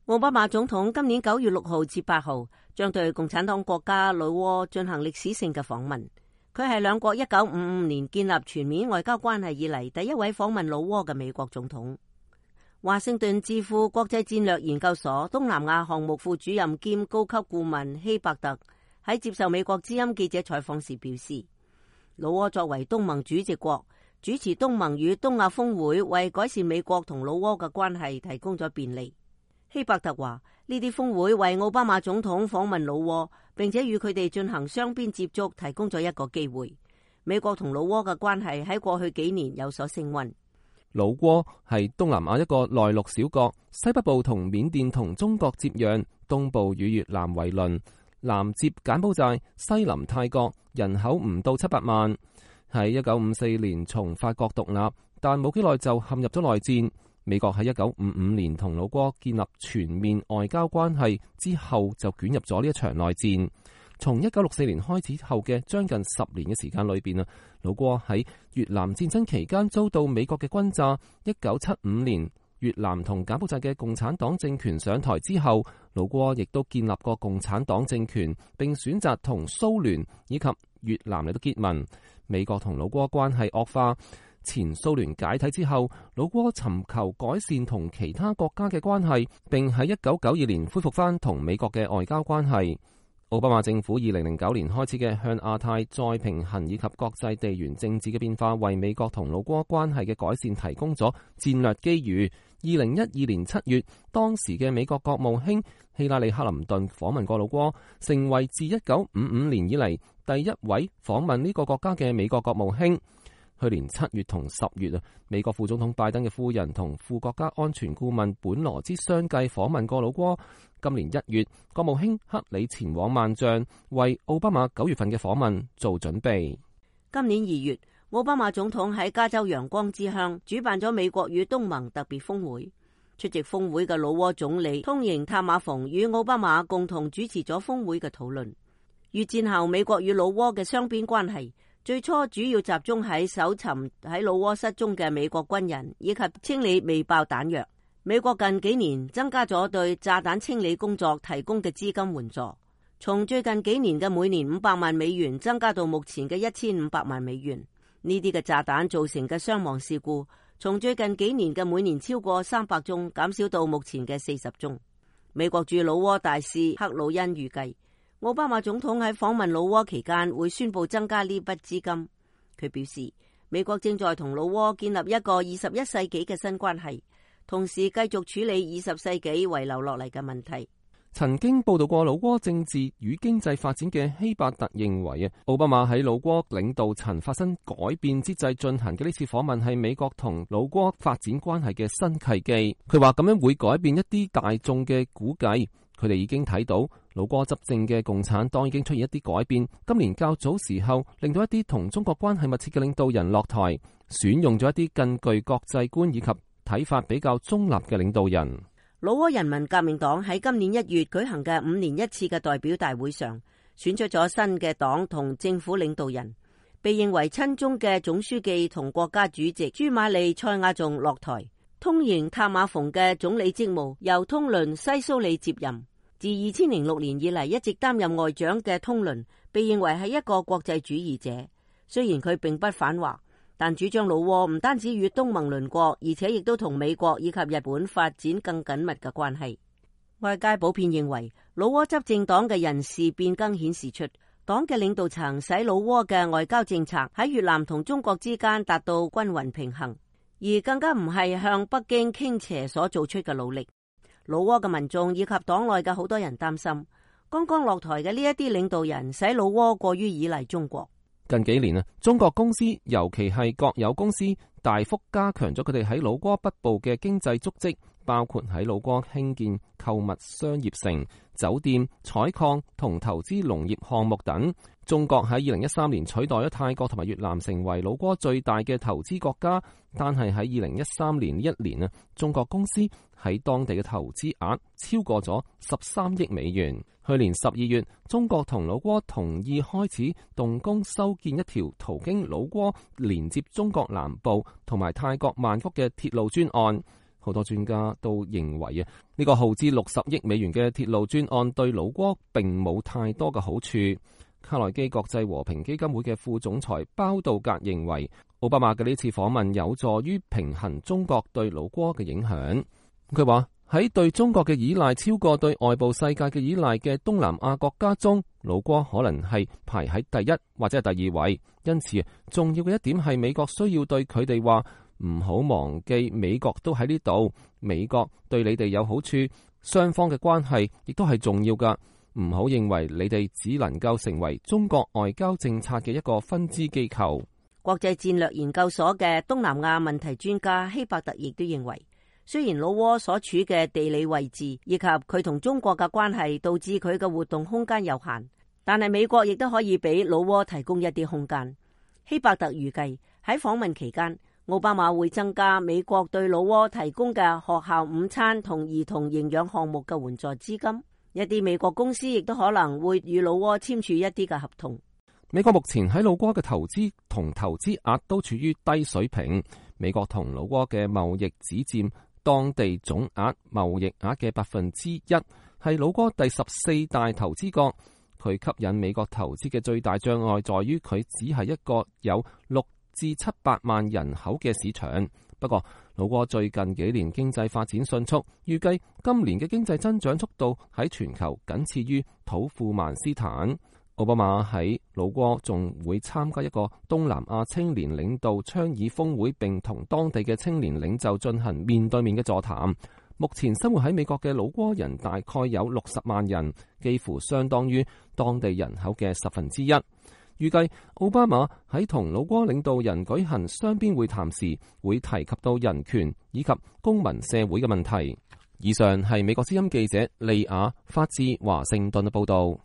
奧巴馬總統今年9月6號至8號將對共產黨國家老撾進行歷史性嘅訪問。佢係兩國1955年建立全面外交關係以嚟第一位訪問老撾嘅美國總統。華盛頓智庫國際戰略研究所東南亞項目副主任兼高級顧問希伯特喺接受美國之音記者採訪時表示，老撾作為東盟主席國，主持東盟與東亞峰會，為改善美國同老撾嘅關係提供咗便利。希伯特話，呢啲峰會為奧巴馬總統訪問老撾，並且與佢哋進行雙邊接觸提供咗一個機會。美國同老撾嘅關係喺過去幾年有所升溫。老撾係東南亞一個內陸小國，西北部同緬甸同中國接壤，東部與越南為鄰，南接柬埔寨，西臨泰國，人口唔到700萬。喺1954年從法國獨立，但冇幾耐就陷入咗內戰。美國喺1955年同老撾建立全面外交關係之後，就捲入咗呢一場內戰。從1964年開始後嘅將近10年嘅時間裏邊啊，老撾喺越南戰爭期間遭到美國嘅轟炸。1975年越南同柬埔寨嘅共產黨政權上台之後，老撾亦都建立過共產黨政權，並選擇同蘇聯以及越南嚟到結盟。美國同老撾關係惡化。前蘇聯解體之後，老撾尋求改善同其他國家嘅關係，並喺1992年恢復翻同美國嘅外交關係。奧巴馬政府2009年開始嘅向亞太再平衡以及國際地緣政治嘅變化，為美國同老撾關係嘅改善提供咗戰略機遇。2012年7月，當時嘅美國國務卿希拉里·克林頓訪問過老撾，成為自1955年以嚟第一位訪問呢個國家嘅美國國務卿。去年7月同10月啊，美國副總統拜登嘅夫人同副國家安全顧問本羅茲相繼訪問過老撾。今年1月，國務卿克里前往萬象，為奧巴馬9月份嘅訪問做準備。今年2月，奧巴馬總統喺加州陽光之鄉主辦咗美國與東盟特別峰會。出席峰會嘅老撾總理通瑩塔馬馮與奧巴馬共同主持咗峰會嘅討論。越戰後，美國與老撾嘅雙邊關係最初主要集中喺搜尋喺老撾失蹤嘅美國軍人，以及清理未爆彈藥。美國近幾年增加咗對炸彈清理工作提供嘅資金援助，從最近幾年嘅每年500萬美元增加到目前嘅1500萬美元。呢啲嘅炸彈造成嘅傷亡事故，從最近幾年嘅每年超過300宗減少到目前嘅40宗。美國駐老撾大使克魯恩預計，奧巴馬總統喺訪問老撾期間會宣布增加呢筆資金。佢表示，美國正在同老撾建立一個21世紀嘅新關係，同時繼續處理20世紀遺留落嚟嘅問題。曾經報道過老撾政治與經濟發展嘅希伯特認為啊，奧巴馬喺老撾領導層發生改變之際進行嘅呢次訪問係美國同老撾發展關係嘅新契機。佢話咁樣會改變一啲大眾嘅估計。佢哋已經睇到老撾執政嘅共產黨已經出現一啲改變。今年較早時候，令到一啲同中國關係密切嘅領導人落台，選用咗一啲更具國際觀以及睇法比較中立嘅領導人。老撾人民革命黨喺今年1月舉行嘅5年1次嘅代表大會上，選出咗新嘅黨同政府領導人，被認為親中嘅總書記同國家主席朱馬利塞亞仲落台，通瑩塔馬馮嘅總理職務由通倫西蘇里接任。自2006年以嚟一直擔任外長嘅通倫，被認為係一個國際主義者。雖然佢並不反華，但主張老撾唔單止與東盟鄰國，而且亦都同美國以及日本發展更緊密嘅關係。外界普遍認為，老撾執政黨嘅人事變更顯示出黨嘅領導層使老撾嘅外交政策喺越南同中國之間達到均勻平衡，而更加唔係向北京傾斜所做出嘅努力。老撾嘅民眾以及黨內嘅好多人擔心，剛剛落台嘅呢一啲領導人使老撾過於依賴中國。近幾年啊，中國公司尤其係國有公司大幅加強咗佢哋喺老撾北部嘅經濟足跡，包括喺老撾興建購物商業城、酒店、採礦同投資農業項目等。中國喺2013年取代咗泰國同埋越南成為老撾最大嘅投資國家，但係喺2013年呢一年啊，中國公司喺當地嘅投資額超過咗13億美元。去年12月，中國同老撾同意開始動工修建一條途經老撾連接中國南部同埋泰國曼谷嘅鐵路專案。好多專家都認為呢個耗資60億美元嘅鐵路專案對老撾並冇太多嘅好處。卡內基國際和平基金會嘅副總裁包道格認為，奧巴馬嘅呢次訪問有助於平衡中國對老撾嘅影響。佢話喺對中國嘅依賴超過對外部世界嘅依賴嘅東南亞國家中，老撾可能係排喺第一或者係第二位。因此重要嘅一點係美國需要對佢哋話，唔好忘記美國都喺呢度，美國對你哋有好處，雙方嘅關係亦都係重要㗎。唔好認為你哋只能夠成為中國外交政策嘅一個分支機構。國際戰略研究所嘅東南亞問題專家希伯特亦都認為，雖然老撾所處嘅地理位置以及佢同中國嘅關係導致佢嘅活動空間有限，但係美國亦都可以俾老撾提供一啲空間。希伯特預計喺訪問期間，奧巴馬會增加美國對老撾提供嘅學校午餐同兒童營養項目嘅援助資金。一啲美國公司亦都可能會與老撾簽署一啲嘅合同。美國目前喺老撾嘅投資同投資額都處於低水平。美國同老撾嘅貿易只佔當地總額貿易額嘅1%，係老撾第14大投資國。佢吸引美國投資嘅最大障礙在於佢只係一個有6至700萬人口嘅市場。不過老撾最近幾年經濟發展迅速，預計今年嘅經濟增長速度喺全球僅次於土庫曼斯坦。奧巴馬喺老撾仲會參加一個東南亞青年領導倡議峰會，並同當地嘅青年領袖進行面對面嘅座談。目前生活喺美國嘅老撾人大概有60萬人，幾乎相當於當地人口嘅1/10。預計奧巴馬喺同老撾領導人舉行雙邊會談時，會提及到人權以及公民社會嘅問題。以上係美國之音記者利亞發自華盛頓嘅報道。